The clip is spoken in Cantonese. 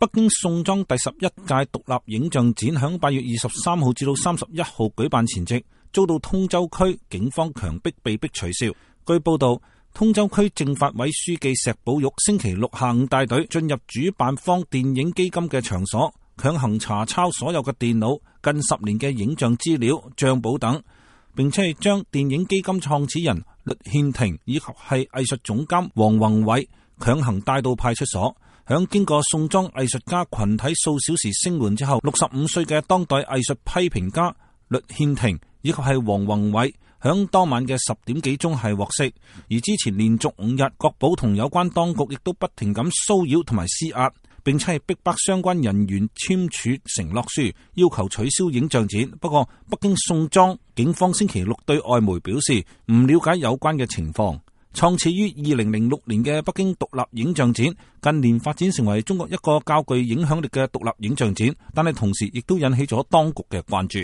北京宋莊第11屆獨立影像展響8月23號至到31號舉辦前夕，遭到通州區警方強迫被迫取消。據報道，通州區政法委書記石寶玉星期六下午帶隊進入主辦方電影基金嘅場所，強行查抄所有嘅電腦、近10年嘅影像資料、賬簿等，並且係將電影基金創始人栗憲庭以及係藝術總監黃宏偉強行帶到派出所。響經過宋莊藝術家群體數小時聲援之後，65歲嘅當代藝術批評家栗憲庭以及係黃宏偉響當晚嘅10點幾鐘係獲釋。而之前連續5日，國保同有關當局亦都不停咁騷擾同埋施壓，並且係逼迫相關人員簽署承諾書，要求取消影像展。不過，北京宋莊警方星期六對外媒表示唔了解有關嘅情況。創始於2006年嘅北京獨立影像展，近年發展成為中國一個較具影響力嘅獨立影像展，但係同時亦都引起咗當局嘅關注。